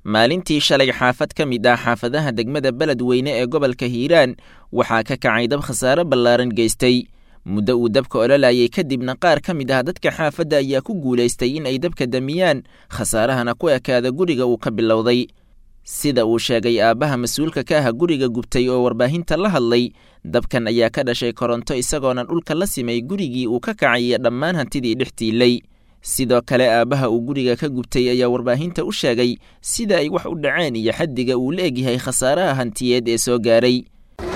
Maalintii shalay xaafad ka mid ah xaafadaha degmada Beledweyne ee gobolka Hiiraan waxaa ka kacay dab khasaare ballaaran geystay. Muddo uu dabka ololayay kadibna qaar ka mid ah dadka xaafadda ayaa ku guulaystay in ay dabka damiyaan, khasaarahana ku ekaada guriga uu ka bilowday. Sida uu sheegay aabbaha mas-uulka ka ah guriga gubtay oo warbaahinta la hadlay, dabkan ayaa ka dhashay koronto isagoona dhulka la simay gurigii uu ka kacay iyo dhammaan hantidii dhex tiilay. Sidoo kale aabbaha uu guriga ka gubtay ayaa warbaahinta u sheegay sida ay wax u dhaceen iyo xaddiga uu la egyahay khasaaraha hantiyeed ee soo gaaray.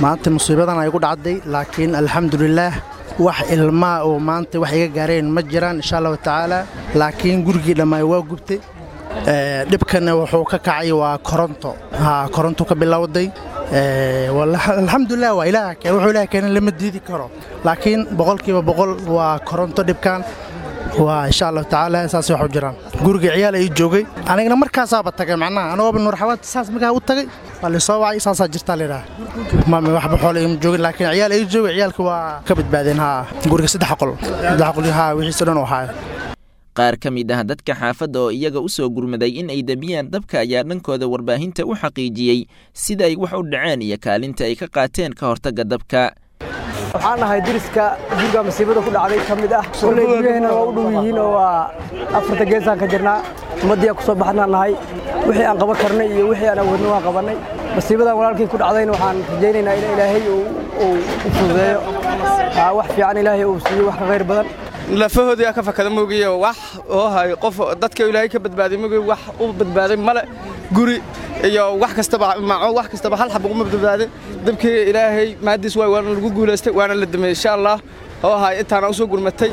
Maanta musiibadan ay ku dhacday, laakiin alxamdulilaah wax ilmaa oo maanta wax iga gaareen ma jiraan insha allahu tacaala, laakiin gurigii dhammaay waa gubtay. Dhibkana wuxuu ka kacay waa koronto, koronto ka bilowday. Alxamdulilah waa ilaah keen, wuxuu ilaah keenay lama diidi karo, laakiin 100% waa koronto dhibkan waa insha allahu tacaala. Saas wax u jiraan. Guriga ciyaal ay joogay, anigana markaasaaba tagay, macnaha anigooba Nuurxawaad saas markaa u tagay waa laysoo wacay, saasaa jirtaa layidhaha. Mami waxba xoolo ima joogin, laakiin ciyaal ay joogay, ciyaalka waa ka badbaadeen. Haa, guriga 3 qol, 3 qol, haa, wixiisa dhan oo haaya. Qaar ka mid ah dadka xaafadda oo iyaga u soo gurmaday in ay damiyaan dabka ayaa dhankooda warbaahinta u xaqiijiyey sida ay wax u dhaceen iyo kaalinta ay ka qaateen ka hortagga dabka. Waxaan nahay deriska guriga masiibada ku dhacday ka mid ah. Kolley guryaheenna waa u dhow yihiin oo waa afarta geesaan ka jirnaa. Ummaddiiaan ku soo baxnaan nahay, wixii aan qaban karnay iyo wixii aan awoodna waan qabannay. Masiibadan walaalkii ku dhacdayna waxaan rajaynaynaa in ilaahay uu u fududeeyo, wax fiican ilaahay uu siiyo, wax ka khayr badan. Lafahoodii aa ka fakada moogiye, wax oo hayo qof dadka ilaahay ka badbaaday moogiye wax u badbaaday male. Guri iyo wax kastaba maco, wax kastaba hal xab uguma badbaadin dabkii. Ilaahay maadiis waay, waana lagu guulaystay, waana la dameyey insha allah oo hay intaana usoo gurmatay.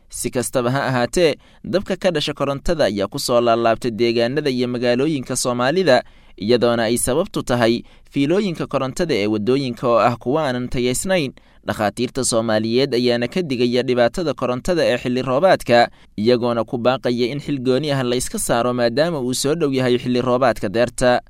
Si kastaba ha ahaatee, dabka ka dhasha korontada ayaa ku soo laalaabtay deegaanada iyo magaalooyinka Soomaalida, iyadoona ay sababtu tahay fiilooyinka korontada ee waddooyinka oo ah kuwa aanan tayaysnayn. Dhakhaatiirta Soomaaliyeed ayaana ka digaya dhibaatada korontada ee xilli roobaadka, iyagoona ku baaqaya in xil gooni ah la iska saaro maadaama uu soo dhow yahay xilli roobaadka deerta.